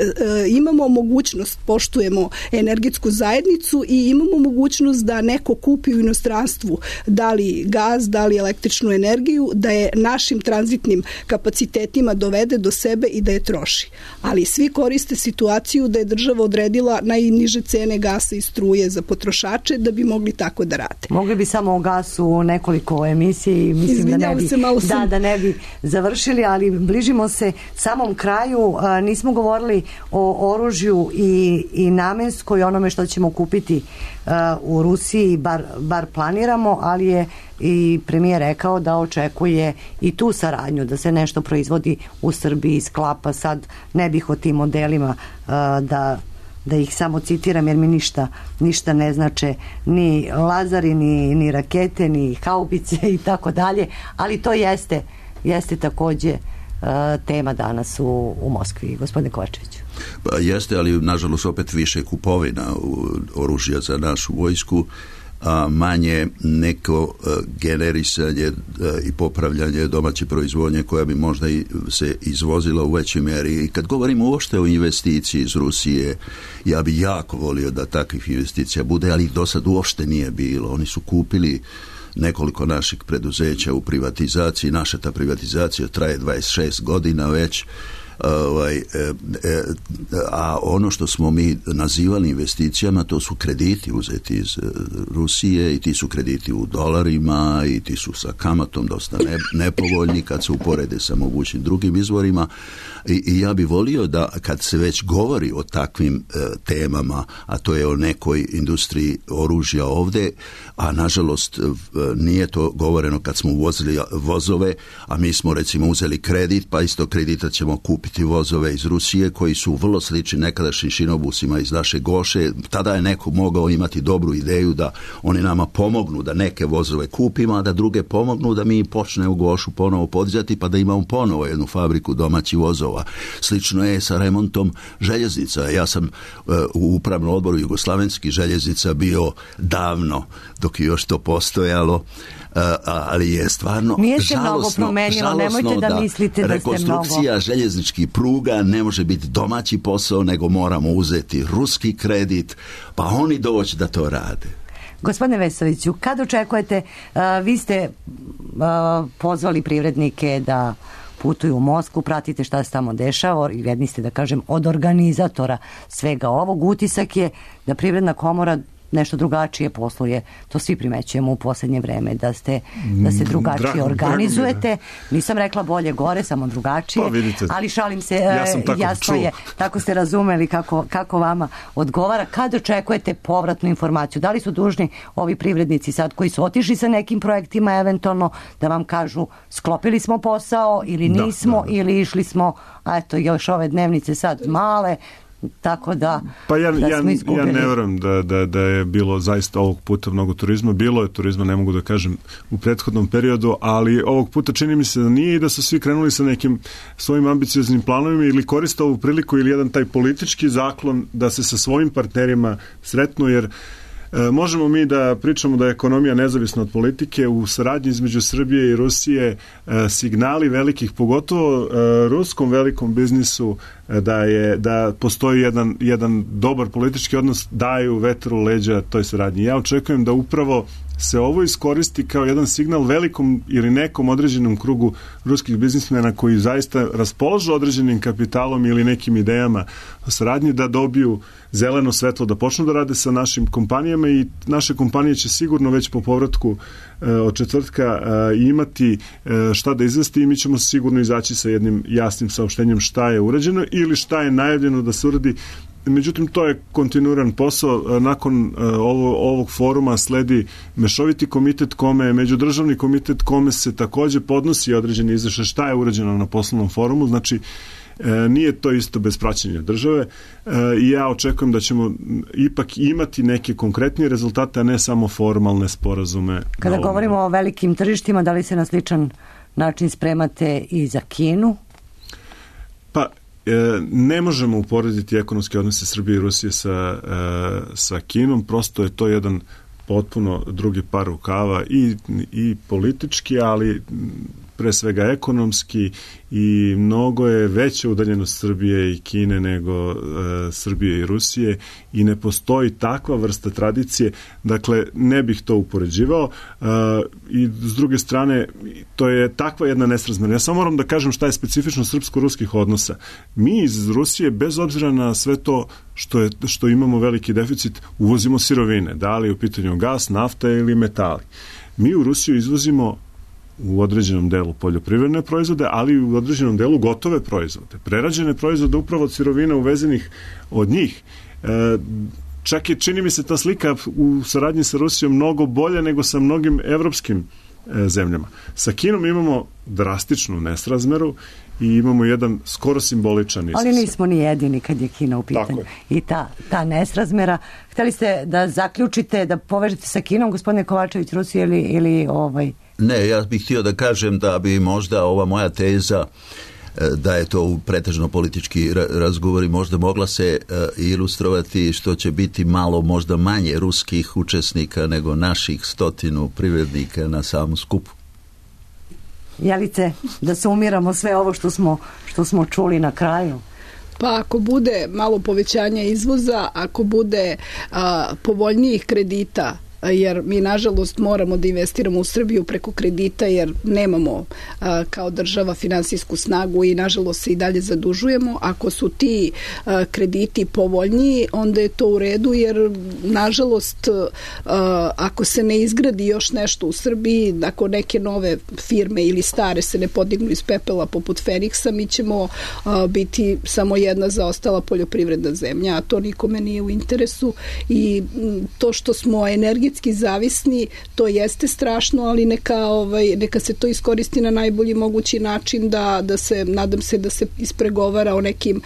imamo mogućnost, poštujemo energetsku zajednicu i imamo mogućnost da neko kupi u inostranstvu da li gaz, da li električnu energiju, da je našim tranzitnim kapacitetima dovede do sebe i da je troši. Ali svi koriste situaciju da je država odredila najniže cene gasa i struje za potrošače da bi mogli tako da rade. Mogli bi samo o gasu nekoliko emisije i mislim da ne bi završili, ali bližimo se samom kraju. Nismo govorili o oružju i namenskoj, onome što ćemo kupiti u Rusiji, bar planiramo, ali je i premijer rekao da očekuje i tu saradnju, da se nešto proizvodi u Srbiji, sklapa. Sad ne bih o tim modelima da ih samo citiram, jer mi ništa ne znače ni lazari, ni rakete, ni haubice i tako dalje, ali to jeste takođe tema danas u Moskvi. Gospodine Kovačeviću. Pa jeste, ali nažalost opet više kupovina oružja za našu vojsku, a manje neko generisanje i popravljanje domaće proizvodnje koja bi možda i se izvozila u većoj mjeri. I kad govorimo uopšte o investiciji iz Rusije, ja bi jako volio da takvih investicija bude, ali do sad uopšte nije bilo. Oni su kupili nekoliko naših preduzeća u privatizaciji. Naša ta privatizacija traje 26 godina već. A ono što smo mi nazivali investicijama, to su krediti uzeti iz Rusije i ti su krediti u dolarima i ti su sa kamatom dosta nepovoljni kad se uporede sa mogućim drugim izvorima i ja bi volio da kad se već govori o takvim temama, a to je o nekoj industriji oružja ovdje, a nažalost nije to govoreno kad smo uvozili vozove, a mi smo recimo uzeli kredit, pa isto kredita ćemo kupiti vozove iz Rusije koji su vrlo slični nekadašnjim šinobusima iz naše Goše. Tada je neko mogao imati dobru ideju da oni nama pomognu da neke vozove kupimo, a da druge pomognu da mi počne u Gošu ponovo podizati pa da imamo ponovo jednu fabriku domaćih vozova. Slično je sa remontom željeznica. Ja sam u upravnom odboru Jugoslavenskih željeznica bio davno dok je još to postojalo, ali je stvarno nije se mnogo promenilo, nemojte da mislite da ste mnogo. Rekonstrukcija željezničkih pruga ne može biti domaći posao, nego moramo uzeti ruski kredit, pa oni doći da to rade. Gospodine Vesoviću, kad očekujete, vi ste pozvali privrednike da putuju u Moskvu, pratite šta se tamo dešava i jedni ste, da kažem, od organizatora svega ovog. Utisak je da Privredna komora nešto drugačije posluje. To svi primećujemo u posljednje vreme, da se drugačije organizujete. Nisam rekla bolje gore, samo drugačije. Pa vidite, ali šalim se, jasno je, tako ste razumeli kako vama odgovara. Kad očekujete povratnu informaciju? Da li su dužni ovi privrednici sad koji su otišli sa nekim projektima eventualno da vam kažu sklopili smo posao ili nismo ili išli smo, a eto još ove dnevnice sad male, tako da pa ja ne vjerujem da je bilo zaista ovog puta mnogo turizma. Bilo je turizma, ne mogu da kažem u prethodnom periodu, ali ovog puta čini mi se da nije i da su svi krenuli sa nekim svojim ambicioznim planovima ili koriste ovu priliku ili jedan taj politički zaklon da se sa svojim partnerima sretnu, jer možemo mi da pričamo da je ekonomija nezavisna od politike. U saradnji između Srbije i Rusije signali velikih, pogotovo ruskom velikom biznisu, da postoji jedan dobar politički odnos, daju vetar u leđa toj saradnji. Ja očekujem da upravo se ovo iskoristi kao jedan signal velikom ili nekom određenom krugu ruskih biznismena koji zaista raspolažu određenim kapitalom ili nekim idejama o saradnji, da dobiju zeleno svetlo da počnu da rade sa našim kompanijama i naše kompanije će sigurno već po povratku od četvrtka imati šta da izvesti i mi ćemo sigurno izaći sa jednim jasnim saopštenjem šta je urađeno ili šta je najavljeno da se uradi. Međutim, to je kontinuiran posao. Nakon ovog foruma sledi mešoviti komitet međudržavni komitet kome se takođe podnosi određeni izveštaj šta je urađeno na poslovnom forumu. Znači, nije to isto bez praćenja države i ja očekujem da ćemo ipak imati neke konkretnije rezultate, a ne samo formalne sporazume. Kada govorimo o velikim tržištima, da li se na sličan način spremate i za Kinu? Pa, ne možemo uporediti ekonomske odnose Srbije i Rusije sa Kinom, prosto je to jedan potpuno drugi par rukava i politički, ali pre svega ekonomski, i mnogo je veća udaljenost Srbije i Kine nego Srbije i Rusije i ne postoji takva vrsta tradicije, dakle ne bih to upoređivao, i s druge strane to je takva jedna nesrazmerna. Ja samo moram da kažem šta je specifično srpsko-ruskih odnosa. Mi iz Rusije, bez obzira na sve to što imamo veliki deficit, uvozimo sirovine, da li u pitanju gas, nafta ili metali. Mi u Rusiju izvozimo u određenom delu poljoprivredne proizvode, ali i u određenom delu gotove proizvode, prerađene proizvode upravo od sirovina uvezenih od njih. Čak je, čini mi se, ta slika u saradnji sa Rusijom mnogo bolja nego sa mnogim evropskim zemljama. Sa Kinom imamo drastičnu nesrazmeru i imamo jedan skoro simboličan iznos. Ali nismo ni jedini kad je Kina u pitanju. I ta nesrazmera. Hteli ste da zaključite, da povežete sa Kinom, gospodine Kovačević, Rusije ili Ne, ja bih htio da kažem da bi možda ova moja teza da je to pretežno politički razgovori možda mogla se ilustrovati što će biti malo možda manje ruskih učesnika nego naših 100 privrednika na samom skupu. Jelice, da sumiramo sve ovo što smo čuli na kraju. Pa ako bude malo povećanja izvoza, ako bude povoljnijih kredita, jer mi nažalost moramo da investiramo u Srbiju preko kredita jer nemamo kao država finansijsku snagu i nažalost se i dalje zadužujemo. Ako su ti krediti povoljniji, onda je to u redu jer nažalost ako se ne izgradi još nešto u Srbiji, ako neke nove firme ili stare se ne podignu iz pepela poput Feniksa, mi ćemo biti samo jedna zaostala poljoprivredna zemlja, a to nikome nije u interesu i to što smo energetski zavisni, to jeste strašno, ali neka se to iskoristi na najbolji mogući način da se, nadam se da se ispregovara o nekim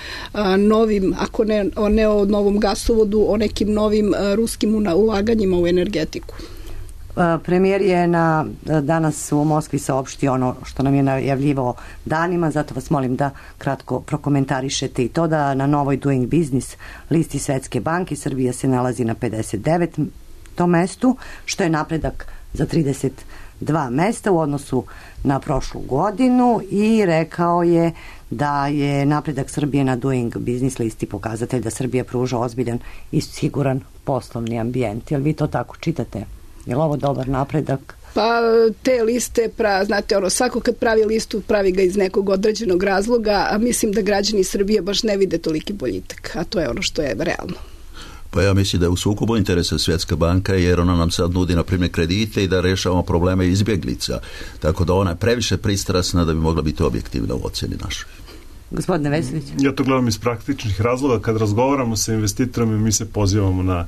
novim, ako ne o novom gasovodu, o nekim novim ruskim ulaganjima u energetiku. Premijer je danas u Moskvi saopštio ono što nam je najavljivao danima, zato vas molim da kratko prokomentarišete i to da na novoj Doing Business listi Svetske banke Srbija se nalazi na 59. mestu, što je napredak za 32 mesta u odnosu na prošlu godinu i rekao je da je napredak Srbije na Doing Business listi pokazatelj da Srbija pruža ozbiljan i siguran poslovni ambijent. Jel vi to tako čitate? Je li ovo dobar napredak? Pa te liste, znate, svako kad pravi listu, pravi ga iz nekog određenog razloga, a mislim da građani Srbije baš ne vide toliki boljitak, a to je ono što je realno. Pa ja mislim da je u sukobu interesa Svjetska banka jer ona nam sad nudi na primjer kredite i da rešavamo probleme izbjeglica. Tako da ona je previše pristrasna da bi mogla biti objektivna u ocjeni našoj. Gospodine Vesović. Ja to gledam iz praktičnih razloga. Kad razgovaramo sa investitorima mi se pozivamo na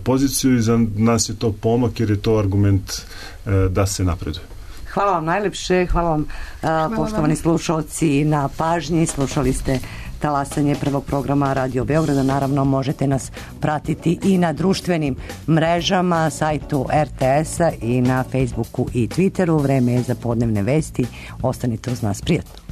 poziciju i za nas je to pomak jer je to argument da se napreduje. Hvala vam najlepše, hvala vam poštovani slušalci na pažnji. Slušali ste Talasanje prvog programa Radio Beograda. Naravno možete nas pratiti i na društvenim mrežama, sajtu RTS-a i na Facebooku i Twitteru. Vreme je za podnevne vesti. Ostanite uz nas, prijatno.